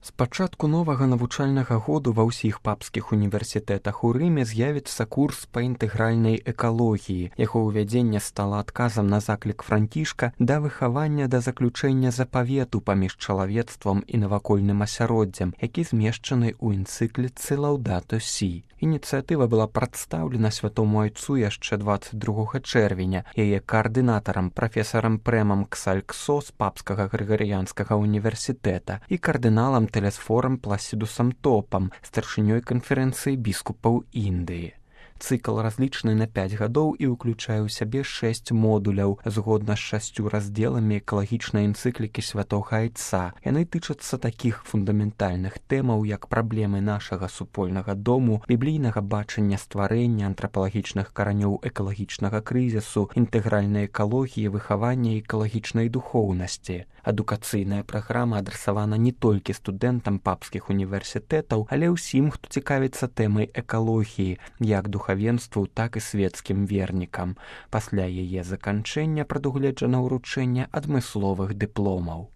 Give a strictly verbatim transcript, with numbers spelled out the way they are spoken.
З пачатку новага навучальнага году ва ўсіх папскіх універсітэтах у Рыме з'явіцца курс па інтэгральнай экалогіі. Яго ўвядзенне стала адказам на заклік Францішка да выхавання да заключэння запавету паміж чалавецтвам і навакольным асяроддзем, які змешчаны ў энцыкліцы Лаўдато Сі. Ініцыятыва была прадстаўлена святому айцу яшчэ дваццаць другога чэрвеня. Яе каардынатарам прафесарам Прэмам Ксальксо з папскага грыгарыянскага універсітэта і кардыналам Телесфорам Пласідусам Топам, старшынёй канферэнцыі біскупаў Індыі. Цыкл разлічаны на пяць гадоў і ўключае ў сябе шэсць модуляў, згодна з шасцю раздзеламі экалагічнай энцыклікі святога айца. Яны тычацца такіх фундаментальных тэмаў, як праблемы нашага супольнага дому, біблійнага бачання стварэння, антрапалагічных каранёў экалагічнага крызісу, інтэгральнай экалогіі, выхавання экалагічнай духоўнасці. Адукацыйная праграма адрасавана не толькі студэнтам папскіх універсітэтаў, але ўсім, хто цікавіцца тэмай экалогіі, як духавенству, так і свецкім вернікам. Пасля яе заканчэння прадугледжана ўручэнне адмысловых дыпломаў.